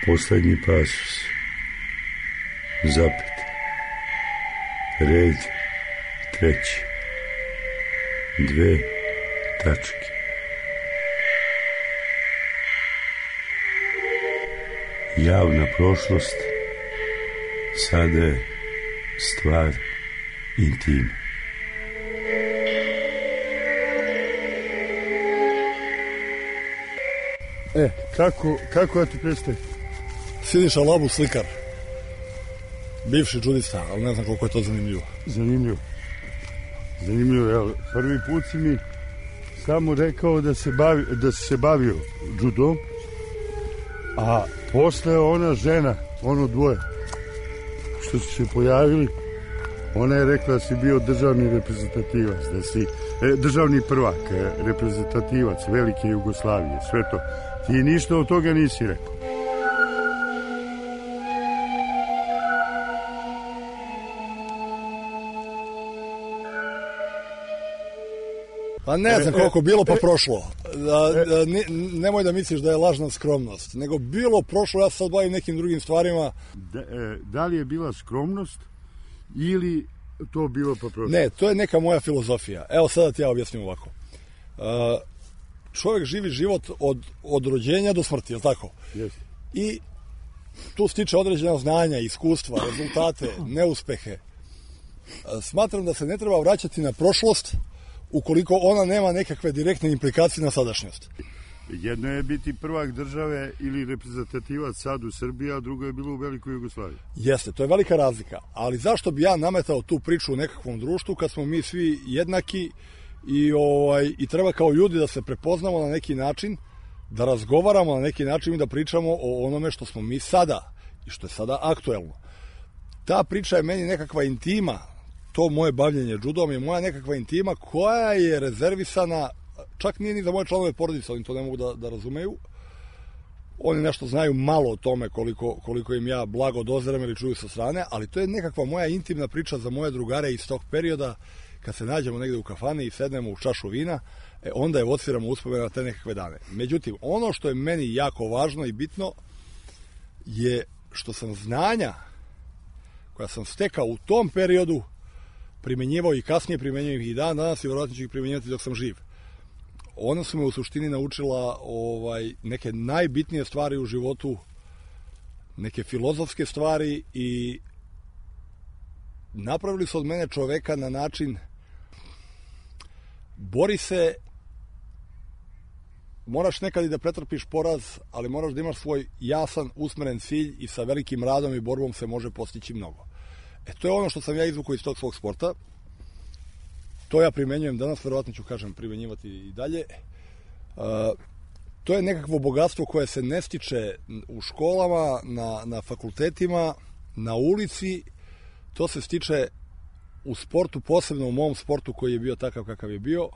Poslednji pasus. Zapet. Red treći. 2 tačke. Javna prošlost sada je stvar intima. Kako ja ti predstavim? Siniša Labu, slikar. Bivši džudista, ali ne znam koliko je to zanimljivo. Zanimljivo, evo, prvi put si mi samo rekao da si se bavio džudom, a posle ona žena, ono dvoje, što su se pojavili, ona je rekla da si bio državni reprezentativac, da si državni prvak, reprezentativac velike Jugoslavije, sve to. Ti ništa od toga nisi rekao. Pa ne znam koliko bilo pa prošlo. Nemoj da misliš da je lažna skromnost, nego bilo prošlo, ja se sad bavim nekim drugim stvarima. Da li je bila skromnost ili to bilo pa prošlo? Ne, to je neka moja filozofija. Evo sada ti ja objasnim ovako. Čovjek živi život od rođenja do smrti, je li tako? Jeste. I tu stiče određena znanja, iskustva, rezultate, neuspehe. Smatram da se ne treba vraćati na prošlost ukoliko ona nema nekakve direktne implikacije na sadašnjost. Jedno je biti prvak države ili reprezentativac sad u Srbiji, a drugo je bilo u Velikoj Jugoslaviji. Jeste, to je velika razlika. Ali zašto bi ja nametao tu priču u nekakvom društvu kad smo mi svi jednaki i treba kao ljudi da se prepoznamo na neki način, da razgovaramo na neki način i da pričamo o onome što smo mi sada i što je sada aktuelno. Ta priča je meni nekakva intima, to moje bavljenje džudom je moja nekakva intima koja je rezervisana, čak nije ni za moje članove porodice, oni to ne mogu da razumeju. Oni nešto znaju malo o tome koliko im ja blago dozirem ili čuju sa strane, ali to je nekakva moja intimna priča za moje drugare iz tog perioda, kad se nađemo negde u kafani i sednemo u čašu vina, onda evociramo uspomene na te nekakve dane. Međutim, ono što je meni jako važno i bitno je što sam znanja koja sam stekao u tom periodu primenjivao i kasnije primenjujem ih i dan danas i vjerojatno ću ih primenjivati dok sam živ. Ona su me u suštini naučila neke najbitnije stvari u životu, neke filozofske stvari i napravili su od mene čoveka na način bori se, moraš nekad i da pretrpiš poraz, ali moraš da imaš svoj jasan, usmeren cilj i sa velikim radom i borbom se može postići mnogo. To je ono što sam ja izvukao iz tog svog sporta. To ja primenjujem danas, verovatno ću, primenjivati i dalje. To je nekakvo bogatstvo koje se ne stiče u školama, na fakultetima, na ulici. To se stiče u sportu, posebno u mom sportu koji je bio takav kakav je bio.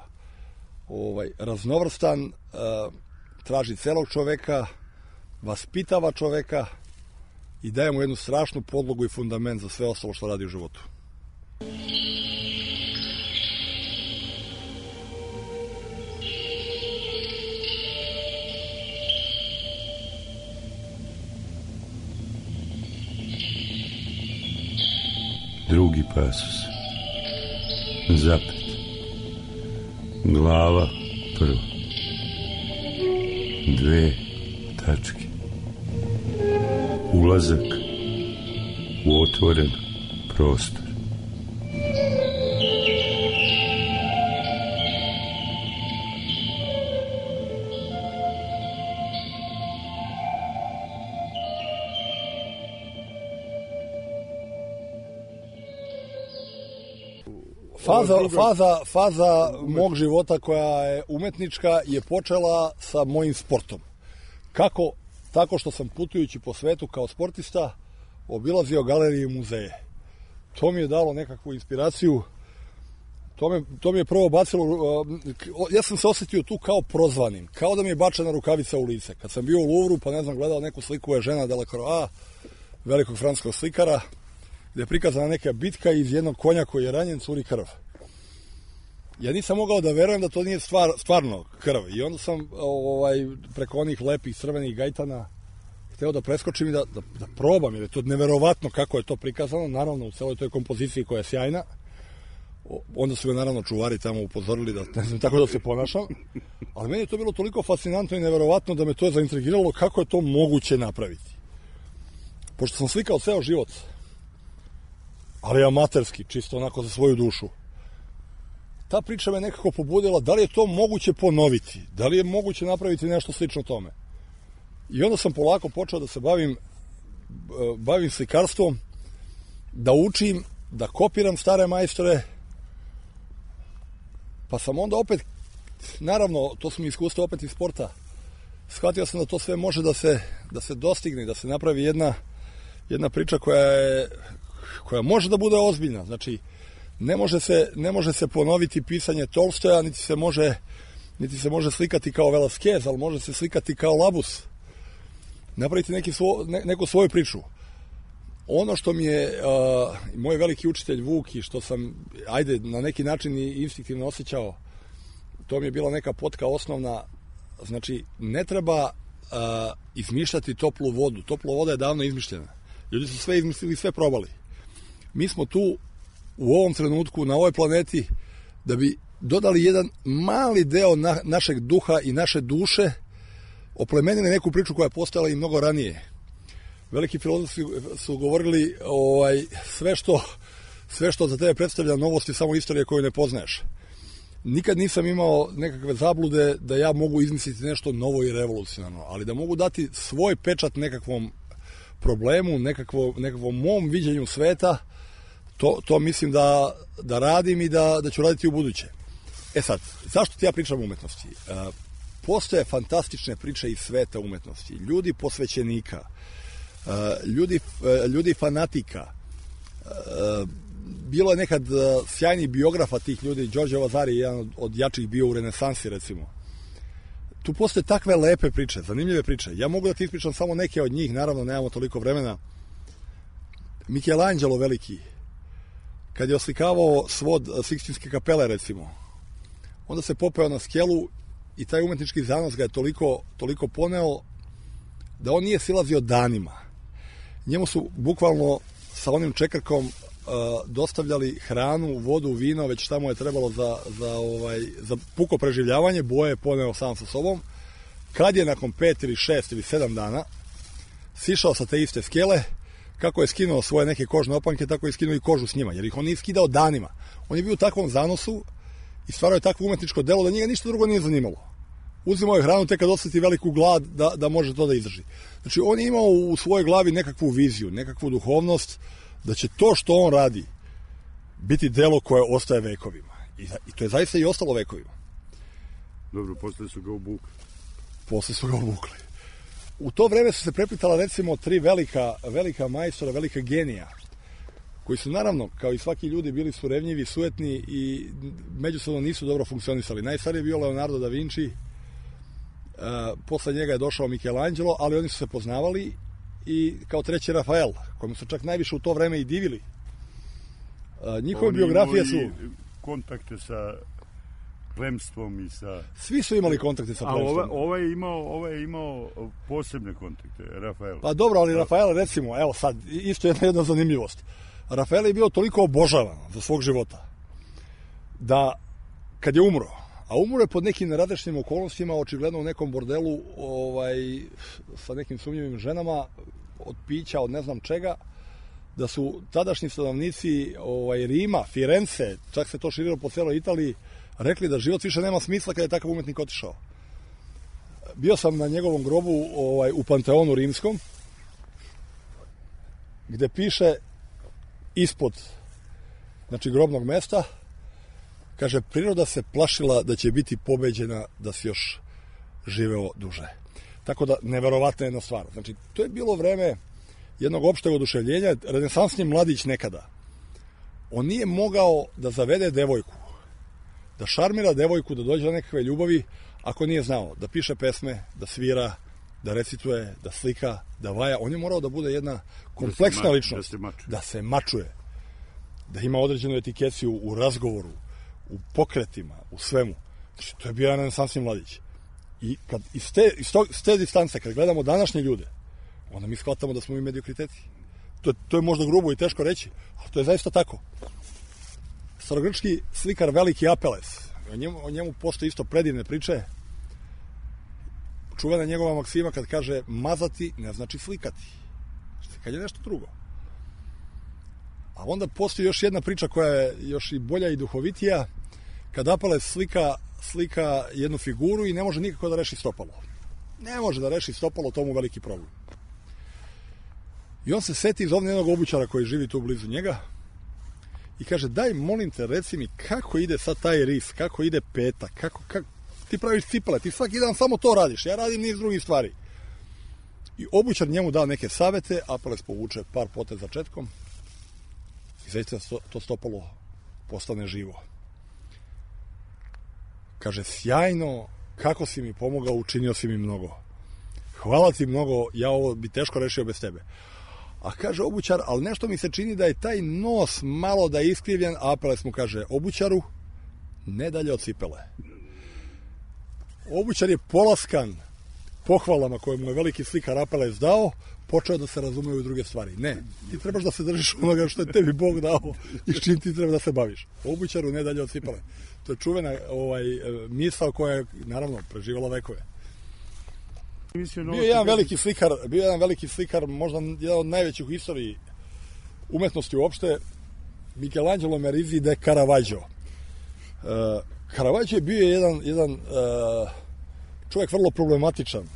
Raznovrstan, traži celog čoveka, vaspitava čoveka i daje mu jednu strašnu podlogu i fundament za sve ostalo što radi u životu. Drugi pasus. Zapet. Glava prva. 2 tačke. Ulazak u otvoren prostor. Faza mog života koja je umetnička je počela sa mojim sportom. Kako? Tako što sam putujući po svetu kao sportista obilazio galerije i muzeje. To mi je dalo nekakvu inspiraciju. To mi je prvo bacilo... Ja sam se osjetio tu kao prozvanim. Kao da mi je bačena rukavica u lice. Kad sam bio u Louvru, pa gledao neku sliku je žena Delacroix, velikog francuskog slikara, gde je prikazana neka bitka iz jednog konja koji je ranjen, curi krv. Ja nisam mogao da verujem da to nije stvarno krv. I onda sam preko onih lepih crvenih gajtana hteo da preskočim i da probam, jer je to neverovatno kako je to prikazano, naravno u celoj toj kompoziciji koja je sjajna. Onda su me naravno čuvari tamo upozorili da ne znam tako da se ponašam, ali meni je to bilo toliko fascinantno i neverovatno da me to zaintrigiralo kako je to moguće napraviti. Pošto sam slikao ceo život, ali amaterski, čisto onako za svoju dušu, ta priča me nekako pobudila da li je to moguće ponoviti, da li je moguće napraviti nešto slično tome. I onda sam polako počeo da se bavim slikarstvom, da učim, da kopiram stare majstore, pa sam onda opet, naravno, to su mi iskustva opet iz sporta, shvatio sam da to sve može da se dostigne, da se napravi jedna priča koja može da bude ozbiljna. Znači, ne može se ponoviti pisanje Tolstoja, niti se može slikati kao Velasquez, ali može se slikati kao Labus. Napraviti neku svoju priču. Ono što mi je moj veliki učitelj Vuk i što sam, na neki način i instinktivno osjećao, to mi je bila neka potka osnovna. Znači, ne treba izmišljati toplu vodu. Topla voda je davno izmišljena. Ljudi su sve izmislili, sve probali. Mi smo tu u ovom trenutku na ovoj planeti da bi dodali jedan mali deo našeg duha i naše duše, oplemenili neku priču koja je postojala i mnogo ranije. Veliki filozofi su govorili sve što za tebe predstavlja novost je samo istorija koju ne poznaješ. Nikad nisam imao nekakve zablude da ja mogu izmisliti nešto novo i revolucionarno, ali da mogu dati svoj pečat nekakvom problemu, nekakvom mom viđenju sveta, to mislim da radim i da ću raditi u buduće. Sad, zašto ti ja pričam o umetnosti? Postoje fantastične priče iz sveta umetnosti. Ljudi posvećenika, ljudi fanatika. Bilo je nekad sjajnih biografa tih ljudi. Đorđe Vasari je jedan od jačih bio u renesansi, recimo. Tu postoje takve lepe priče, zanimljive priče. Ja mogu da ti ispričam samo neke od njih, naravno nemamo toliko vremena. Michelangelo veliki, kad je oslikavao svod Sikstinske kapele, recimo, onda se popeo na skelu i taj umetnički zanos ga je toliko poneo da on nije silazio danima. Njemu su bukvalno sa onim čekrkom dostavljali hranu, vodu, vino, već šta mu je trebalo za puko preživljavanje, boje je poneo sam sa sobom. Kad je nakon 5 ili 6 ili 7 dana sišao sa te iste skele, kako je skinuo svoje neke kožne opanke, tako je skinuo i kožu s njima, jer ih on nije skidao danima. On je bio u takvom zanosu i stvarao je takvo umetničko delo da njega ništa drugo nije zanimalo. Uzimao je hranu tek kad osjeti veliku glad da može to da izdrži. Znači, on je imao u svojoj glavi nekakvu viziju, nekakvu duhovnost, da će to što on radi biti delo koje ostaje vekovima. I to je zaista i ostalo vekovima. Dobro, posle su ga obukli. U to vreme su se preplitala recimo 3 velika majstora, velika genija, koji su naravno, kao i svaki ljudi, bili su revnjivi, sujetni i međusobno nisu dobro funkcionisali. Najstariji je bio Leonardo da Vinci, posle njega je došao Michelangelo, ali oni su se poznavali, i kao treći Rafael, kojemu su čak najviše u to vreme i divili. Njihove biografije su... kontakte sa plemstvom i sa... Svi su imali kontakte sa plemstvom. A ovaj je imao posebne kontakte, Rafael. Pa dobro, ali Rafael, recimo, evo sad, isto jedna zanimljivost. Rafael je bio toliko obožavan za svog života, da kad je umro, a umro je pod nekim neradešnim okolnostima, očigledno u nekom bordelu sa nekim sumnjivim ženama, od pića, od ne znam čega, da su tadašnji stanovnici Rima, Firence, čak se to širilo po celoj Italiji, rekli da život više nema smisla kada je takav umetnik otišao. Bio sam na njegovom grobu u Panteonu rimskom, gde piše ispod, znači, grobnog mesta, kaže, priroda se plašila da će biti pobeđena da si još živeo duže. Tako da, neverovatna jedna stvar. Znači, to je bilo vreme jednog opšteg oduševljenja. Renesansni mladić nekada, on nije mogao da zavede devojku, da šarmira devojku, da dođe do nekakve ljubavi, ako nije znao da piše pesme, da svira, da recituje, da slika, da vaja. On je morao da bude jedna kompleksna ličnost. Da se mačuje. Da ima određenu etikeciju u razgovoru, u pokretima, u svemu. Znači, to je bio jedan renesansni mladić. I kad iz te distance, kad gledamo današnje ljude, onda mi shvatamo da smo mi mediokriteti. To je možda grubo i teško reći, ali to je zaista tako. Starogrčki slikar Veliki Apeles, o njemu postoji isto predivne priče. Čuvena njegova maksima kad kaže mazati ne znači slikati. Slikanje je nešto drugo. A onda postoji još jedna priča koja je još i bolja i duhovitija, kad Apeles slika jednu figuru i ne može nikako da reši stopalo. Ne može da reši stopalo, to mu veliki problem. I on se seti iz ovdje jednog obućara koji živi tu blizu njega i kaže, daj molim te reci mi kako ide sad taj ris, kako ide peta, kako ti praviš cipele, ti svaki dan samo to radiš, ja radim niz drugih stvari. I obućar njemu da neke savete, Apeles povuče par poteza četkom i zaista to stopalo postane živo. Kaže, sjajno, kako si mi pomogao, učinio si mi mnogo. Hvala ti mnogo, ja ovo bi teško rešio bez tebe. A kaže obućar, ali nešto mi se čini da je taj nos malo da je iskrivljen, a Apeles mu kaže, obućaru, ne dalje od cipele. Obućar je polaskan pohvalama koje mu je veliki slikar Apeles dao, počeo da se razume u druge stvari. Ne, ti trebaš da se držiš onoga što je tebi Bog dao i s čim ti treba da se baviš. Obućaru ne dalje od cipele. To je čuvena misao koja je, naravno, preživala vekove. Bio je jedan veliki slikar, možda jedan od najvećih u istoriji umetnosti uopšte, Michelangelo Merisi de Caravaggio. Caravaggio je bio jedan čovjek vrlo problematičan.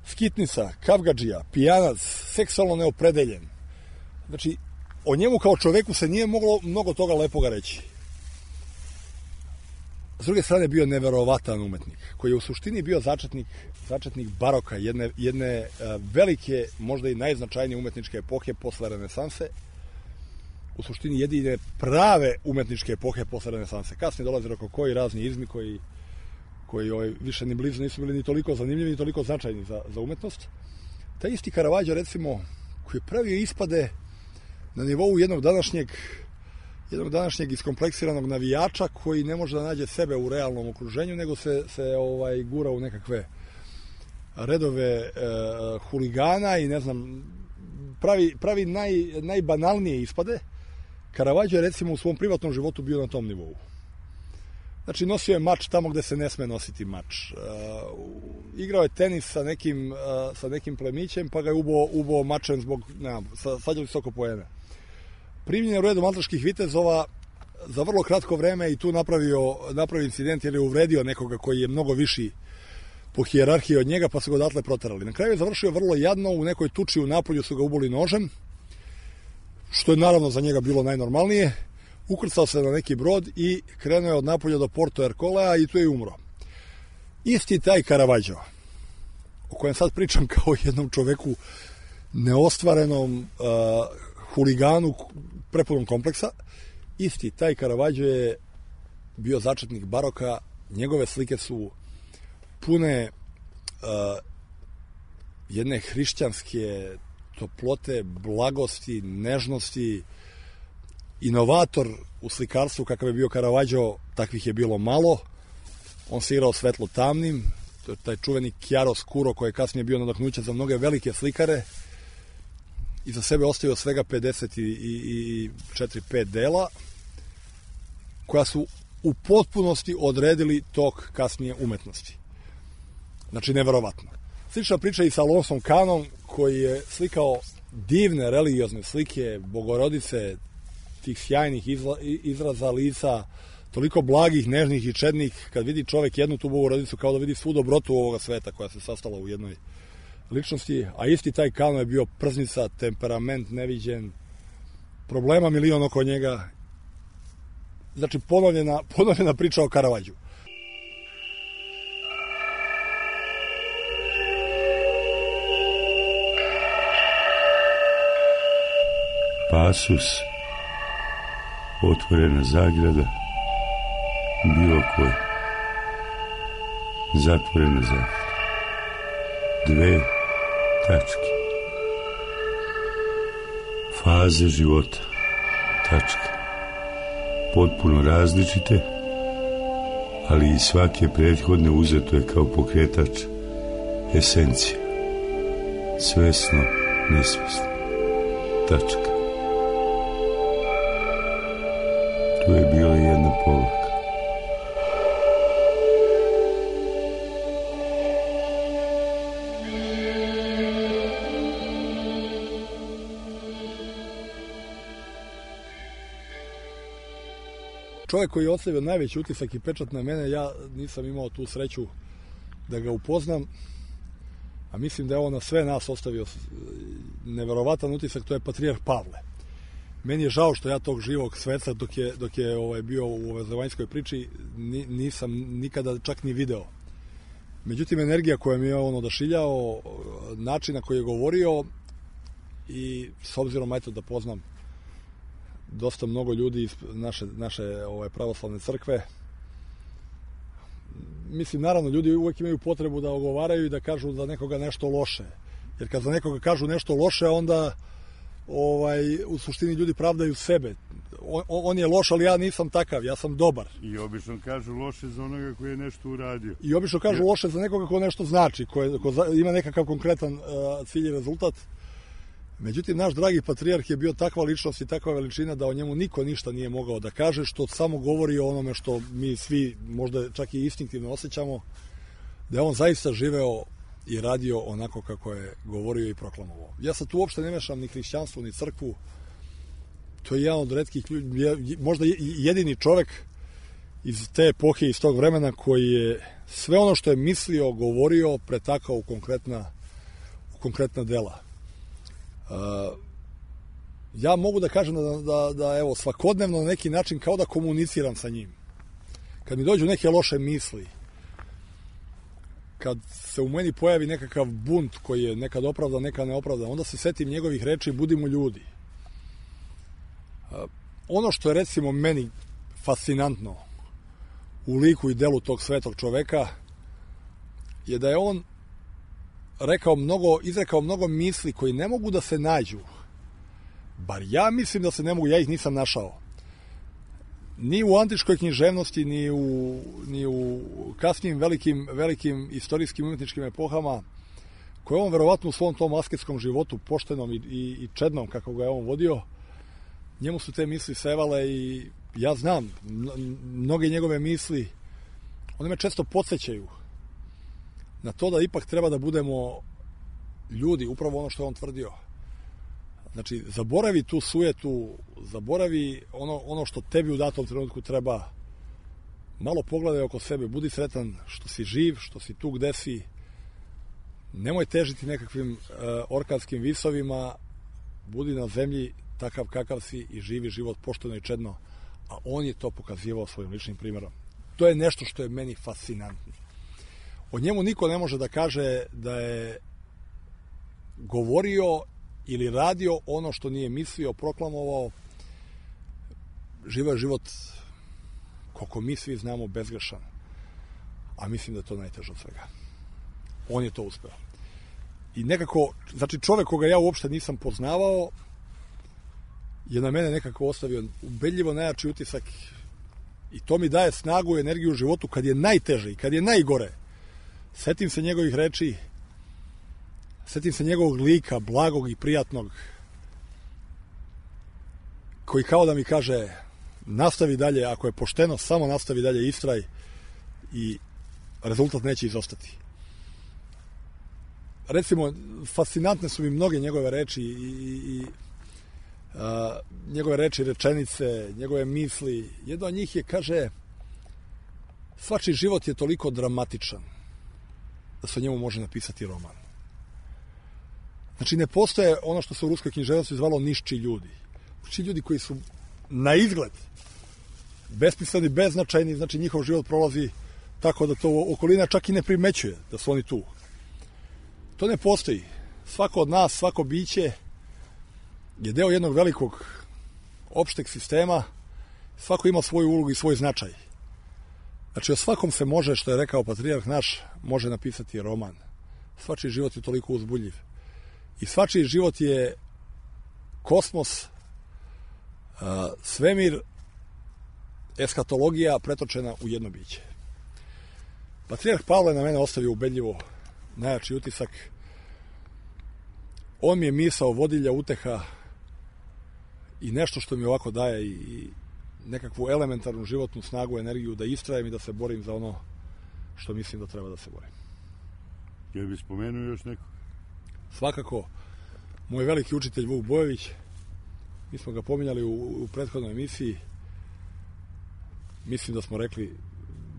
Skitnica, kavgadžija, pijanac, seksualno neopredeljen. Znači, o njemu kao čoveku se nije moglo mnogo toga lepoga reći. S druge strane bio neverovatan umetnik, koji je u suštini bio začetnik baroka, jedne velike, možda i najznačajnije umetničke epohe posle renesanse, u suštini jedine prave umetničke epohe posle renesanse. Kasnije dolaze rokoko i razni izmi koji više ni blizu nisu bili ni toliko zanimljivi, ni toliko značajni za umetnost. Taj isti Caravaggio, recimo, koji je pravio ispade na nivou jednog današnjeg iskompleksiranog navijača koji ne može da nađe sebe u realnom okruženju, nego se gura u nekakve redove huligana i ne znam, pravi najbanalnije ispade. Caravaggio je recimo u svom privatnom životu bio na tom nivou. Znači, nosio je mač tamo gde se ne sme nositi mač. Igrao je tenis sa nekim plemićem, pa ga je ubao mačem zbog, svađali se oko poena. Primljen je u redu maltaških vitezova za vrlo kratko vreme i tu napravio incident jer je uvredio nekoga koji je mnogo viši po hijerarhiji od njega, pa su ga odatle proterali. Na kraju je završio vrlo jadno, u nekoj tuči u Napolju su ga uboli nožem, što je naravno za njega bilo najnormalnije. Ukrcao se na neki brod i krenuo je od Napolja do Porto Ercolea i tu je umro. Isti taj Caravaggio, o kojem sad pričam kao jednom čoveku neostvarenom, huliganu prepunom kompleksa, isti taj Caravaggio je bio začetnik baroka, njegove slike su pune jedne hrišćanske toplote, blagosti, nežnosti. Inovator u slikarstvu kakav je bio Caravaggio, takvih je bilo malo. On se igrao svetlo tamnim, to je taj čuveni chiaroscuro koji je kasnije bio nadahnuće za mnoge velike slikare. Iza sebe ostavio svega 54-5 dela koja su u potpunosti odredili tok kasnije umetnosti. Znači, neverovatno. Slična priča i sa Alonsom Kanom, koji je slikao divne religiozne slike Bogorodice, tih sjajnih izraza lica, toliko blagih, nežnih i čednih. Kad vidi čovek jednu tu Bogorodicu, kao da vidi svu dobrotu ovoga sveta koja se sastala u jednoj ličnosti, a isti taj Kano je bio prznica, temperament neviđen, problema milion oko njega. Znači, ponovljena priča o Caravaggiju. Pasus, otvorena zagrada, bilo koji, zatvorena zagrada, 2 tačke, faze života, tačke, potpuno različite, ali i svake prethodne uzeto je kao pokretač esencija. svesno, nesvesno. Tačka. Tu je bila jedna poruka. Čovjek koji je ostavio najveći utisak i pečat na mene, ja nisam imao tu sreću da ga upoznam, a mislim da je on na sve nas ostavio neverovatan utisak, to je patrijarh Pavle. Meni je žao što ja tog živog sveca dok je bio u ovoj zemaljskoj priči nisam nikada čak ni video. Međutim, energija koja mi je on odašiljao, način na koji je govorio i s obzirom da poznam dosta mnogo ljudi iz naše pravoslavne crkve. Mislim, naravno, ljudi uvek imaju potrebu da ogovaraju i da kažu za nekoga nešto loše. Jer kad za nekoga kažu nešto loše, onda u suštini ljudi pravdaju sebe. On je loš, ali ja nisam takav, ja sam dobar. I obično kažu loše za onoga koji je nešto uradio. I obično kažu loše za nekoga ko nešto znači, ko ima nekakav konkretan cilj i rezultat. Međutim, naš dragi patrijarh je bio takva ličnost i takva veličina da o njemu niko ništa nije mogao da kaže, što samo govori o onome što mi svi možda čak i instinktivno osjećamo, da je on zaista živeo i radio onako kako je govorio i proklamovao. Ja sad tu uopšte ne mešam ni hrišćanstvo, ni crkvu. To je jedan od retkih ljudi, možda jedini čovek iz te epohe, iz tog vremena, koji je sve ono što je mislio, govorio, pretakao u konkretna dela. Ja mogu da kažem da evo, svakodnevno na neki način kao da komuniciram sa njim. Kad mi dođu neke loše misli, kad se u meni pojavi nekakav bunt koji je nekad opravdan, nekad neopravdan, onda se setim njegovih reči, budimo ljudi. Ono što je recimo meni fascinantno u liku i delu tog svetog čoveka je da je on izrekao mnogo misli koji ne mogu da se nađu. Bar ja mislim da se ne mogu, ja ih nisam našao. Ni u antičkoj književnosti, ni u kasnijim velikim istorijskim umetničkim epohama, koje on verovatno u svom tom asketskom životu, poštenom i čednom kako ga je on vodio, njemu su te misli sevale i ja znam, mnoge njegove misli, one me često podsjećaju na to da ipak treba da budemo ljudi, upravo ono što je on tvrdio. Znači, zaboravi tu sujetu, zaboravi ono što tebi u datom trenutku treba. Malo pogledaj oko sebe, budi sretan što si živ, što si tu gde si. Nemoj težiti nekakvim orkanskim visovima, budi na zemlji takav kakav si i živi život pošteno i čedno. A on je to pokazivao svojim ličnim primjerom. To je nešto što je meni fascinantno. O njemu niko ne može da kaže da je govorio ili radio ono što nije mislio, proklamovao. Živeo je život, koliko mi svi znamo, bezgrešan. A mislim da je to najteže od svega. On je to uspeo. I nekako, znači čovek koga ja uopšte nisam poznavao je na mene nekako ostavio ubedljivo najjači utisak i to mi daje snagu i energiju u životu kad je najteže i kad je najgore. Setim se njegovih reči, setim se njegovog lika, blagog i prijatnog, koji kao da mi kaže nastavi dalje, ako je pošteno, samo nastavi dalje, istraj i rezultat neće izostati. Recimo, fascinantne su mi mnoge njegove reči i njegove reči, rečenice, njegove misli. Jedna od njih je, kaže, svačiji život je toliko dramatičan da se o njemu može napisati roman. Znači, ne postoje ono što se u ruskoj književnosti zvalo nišči ljudi. Nišči ljudi koji su na izgled besmisleni, beznačajni, znači njihov život prolazi tako da to okolina čak i ne primećuje da su oni tu. To ne postoji. Svako od nas, svako biće je deo jednog velikog opšteg sistema, svako ima svoju ulogu i svoj značaj. Znači, o svakom se može, što je rekao patrijarh naš, može napisati roman. Svačiji život je toliko uzbudljiv. I svačiji život je kosmos, svemir, eskatologija pretočena u jedno biće. Patrijarh Pavle na mene ostavio ubedljivo najjači utisak. On mi je misao, vodilja, uteha i nešto što mi ovako daje i nekakvu elementarnu životnu snagu, energiju da istrajem i da se borim za ono što mislim da treba da se borim. Jel bi spomenuo još neko? Svakako, moj veliki učitelj Vuk Bojović, mi smo ga pominjali u prethodnoj emisiji, mislim da smo rekli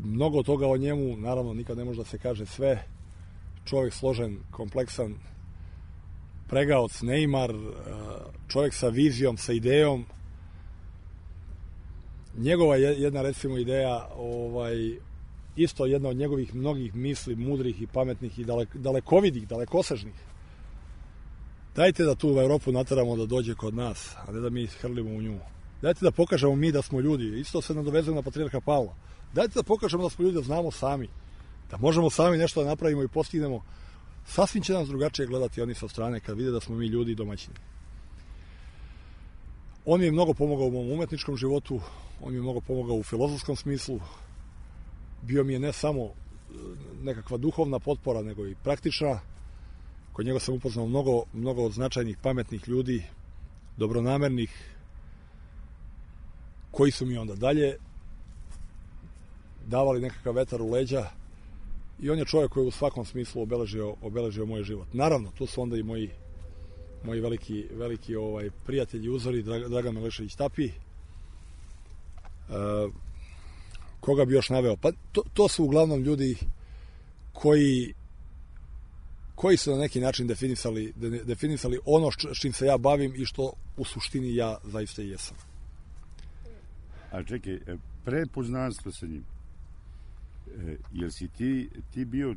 mnogo toga o njemu, naravno nikad ne može da se kaže sve, čovjek složen, kompleksan, pregaoc, neimar, čovjek sa vizijom, sa idejom. Njegova jedna, recimo, ideja, isto jedna od njegovih mnogih misli, mudrih i pametnih i dalekovidih, dalekosežnih. Dajte da tu u Evropu nateramo da dođe kod nas, a ne da mi hrlimo u nju. Dajte da pokažemo mi da smo ljudi. Isto se nadovezuje na patrijarha Pavla. Dajte da pokažemo da smo ljudi, da znamo sami. Da možemo sami nešto da napravimo i postignemo. Sasvim će nas drugačije gledati oni sa strane kad vide da smo mi ljudi i domaćini. On mi je mnogo pomogao u mom umetničkom životu, on mi je mnogo pomogao u filozofskom smislu. Bio mi je ne samo nekakva duhovna potpora, nego i praktična. Kod njega sam upoznao mnogo od značajnih, pametnih ljudi, dobronamernih, koji su mi onda dalje davali nekakav vetar u leđa. I on je čovjek koji u svakom smislu obeležio moj život. Naravno, tu su onda i moji veliki prijatelji, uzori, Dragan Milešević Tapi. Koga bi još naveo? Pa to su uglavnom ljudi koji su na neki način definisali ono s čim se ja bavim i što u suštini ja zaista i jesam. A čekaj, pre poznanstva sa njim, jel si ti bio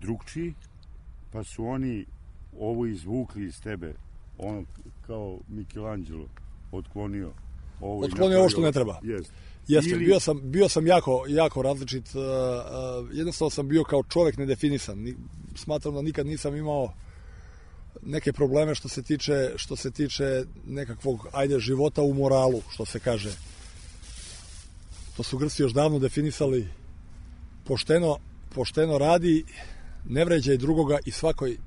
drugčiji, pa su oni ovo izvukli iz tebe, ono kao Michelangelo otklonio ovo što ne treba. Jeste, bio sam jako različit, jednostavno sam bio kao čovjek nedefinisan. Smatram da nikad nisam imao neke probleme što se tiče nekakvog života u moralu, što se kaže. To su Grci još davno definisali: pošteno radi, ne vređaj drugoga i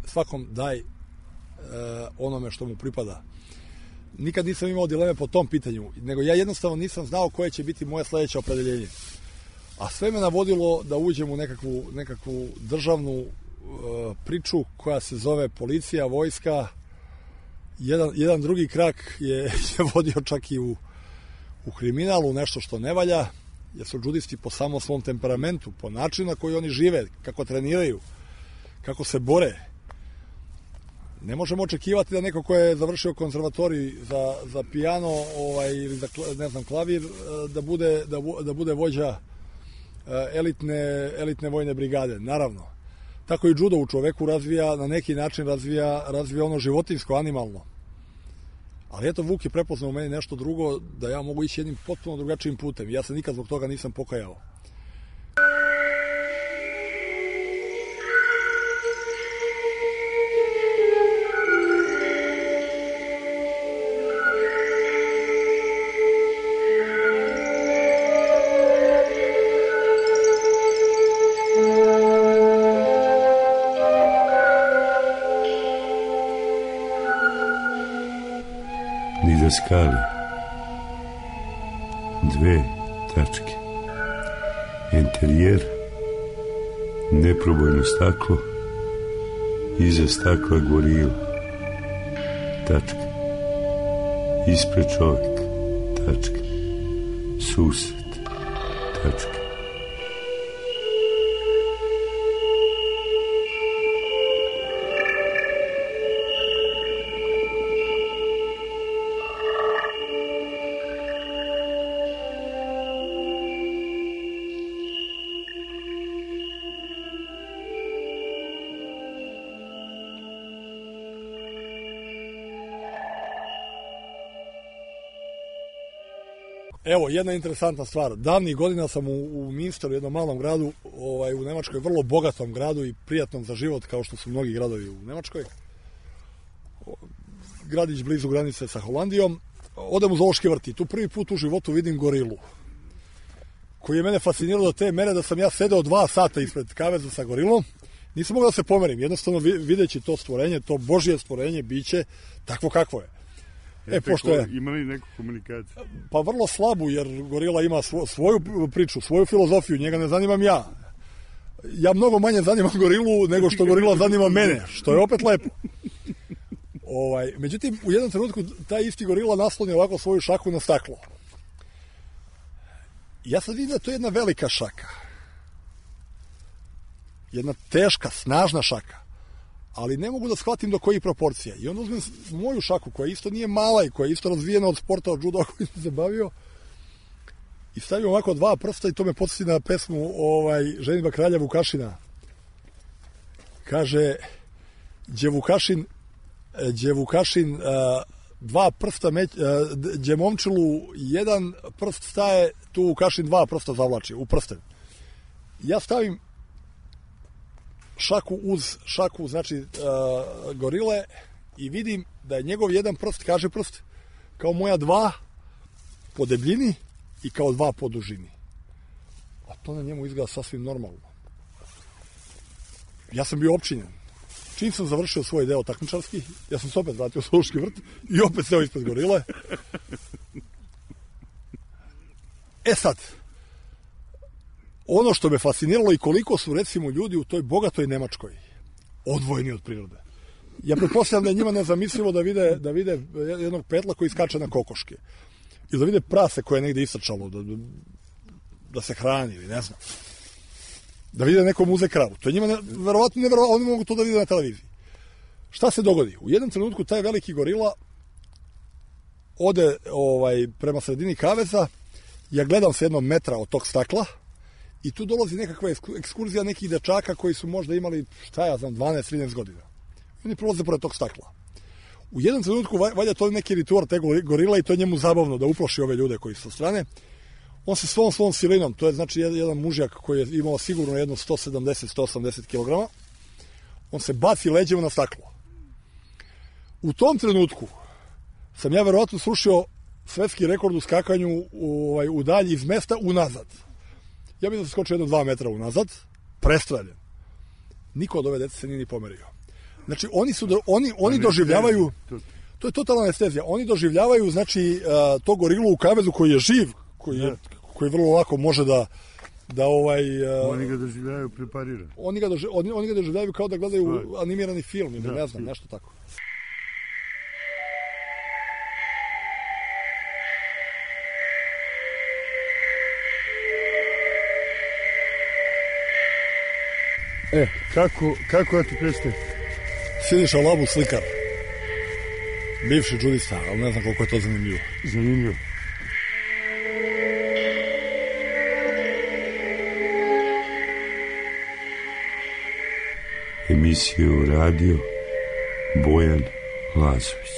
svakom daj onome što mu pripada. Nikad nisam imao dileme po tom pitanju, nego ja jednostavno nisam znao koje će biti moje sledeće opredeljenje. A sve me navodilo da uđem u nekakvu državnu priču koja se zove policija, vojska. Jedan drugi krak je vodio čak i u kriminalu, nešto što ne valja, jer su džudisti po samom svom temperamentu, po načinu na koji oni žive, kako treniraju, kako se bore. Ne možemo očekivati da neko ko je završio konzervatorij za pijano ili za, ne znam, klavir, da bude vođa elitne vojne brigade. Naravno. Tako i džudo u čoveku na neki način razvija ono životinjsko, animalno. Ali eto, Vuk je prepoznao u meni nešto drugo, da ja mogu ići jednim potpuno drugačijim putem. Ja se nikad zbog toga nisam pokajao. Skali, 2 tačke, enterijer, neprobojno staklo, iza stakla gorila, tačka, ispred čovjek, tačka, susret, tačka. Evo, jedna interesantna stvar. Davnih godina sam u Minsteru, jednom malom gradu u Nemačkoj, vrlo bogatom gradu i prijatnom za život, kao što su mnogi gradovi u Nemačkoj. Gradić blizu granice sa Holandijom. Odem u zoološki vrt i tu prvi put u životu vidim gorilu, koji je mene fascinirao do te mere da sam ja sedeo 2 sata ispred kaveza sa gorilom. Nisam mogao da se pomerim, jednostavno videći to stvorenje, to Božje stvorenje, biće takvo kakvo je. Pošto je... Ima li neku komunikaciju? Pa vrlo slabu, jer gorila ima svoju priču, svoju filozofiju, njega ne zanimam ja. Ja mnogo manje zanimam gorilu nego što gorila zanima mene, što je opet lepo. Međutim, u jednom trenutku taj isti gorila nasloni ovako svoju šaku na staklo. Ja sad vidim da to je jedna velika šaka. Jedna teška, snažna šaka. Ali ne mogu da shvatim do kojih proporcija. I onda uzmem moju šaku, koja isto nije mala i koja je isto razvijena od sporta, od juda koji sam se bavio, i stavim ovako 2 prsta i to me podsjeti na pesmu Ženidba kralja Vukašina. Kaže, gdje Vukašin 2 prsta, gdje momčilu 1 prst staje, tu Vukašin 2 prsta zavlači u prsten. Ja stavim šaku uz šaku, znači gorile, i vidim da je njegov 1 prst, kaže prst, kao moja 2 po debljini i kao 2 po dužini. A to na njemu izgleda sasvim normalno. Ja sam bio opčinjen. Čim sam završio svoj deo takmičarski, ja sam se opet vratio u Zoološki vrt i opet seo ispred gorile. Sad, ono što me fasciniralo i koliko su, recimo, ljudi u toj bogatoj Nemačkoj odvojeni od prirode. Ja pretpostavljam da je njima nezamislivo da vide jednog petla koji skače na kokoške. I da vide prase koje je negde istrčalo, da se hrani ili ne znam. Da vide neko muze kravu. To je njima verovatno neverovatno, oni mogu to da vide na televiziji. Šta se dogodi? U jednom trenutku taj veliki gorila ode prema sredini kaveza, ja gledam se 1 metra od tog stakla i tu dolazi nekakva ekskurzija nekih dečaka koji su možda imali, 12-13 godina. Oni prolaze pored tog stakla. U jednom trenutku, valjda to je neki ritual te gorila i to je njemu zabavno da uplaši ove ljude koji su sa strane. On se svom silinom, to je znači jedan mužjak koji je imao sigurno jedno 170-180 kg, on se baci leđima na staklo. U tom trenutku sam ja verovatno srušio svetski rekord u skakanju u dalji iz mesta unazad. Ja bih da se skočio 2 metra unazad, prestreljen. Niko od ove dece se nije ni pomerio. Znači, oni doživljavaju, to je totalna anestezija, oni doživljavaju, znači, to gorilu u kavezu koji je živ, koji vrlo lako može da oni ga doživljavaju prepariran. Oni ga doživljavaju kao da gledaju animirani film ili ne znam, nešto tako. Kako ja ti predstavim? Siniša Labu, slikar. Bivši džudista, ali ne znam koliko je to zanimljivo. Zanimljivo. Emisiju radio Bojan Lazović.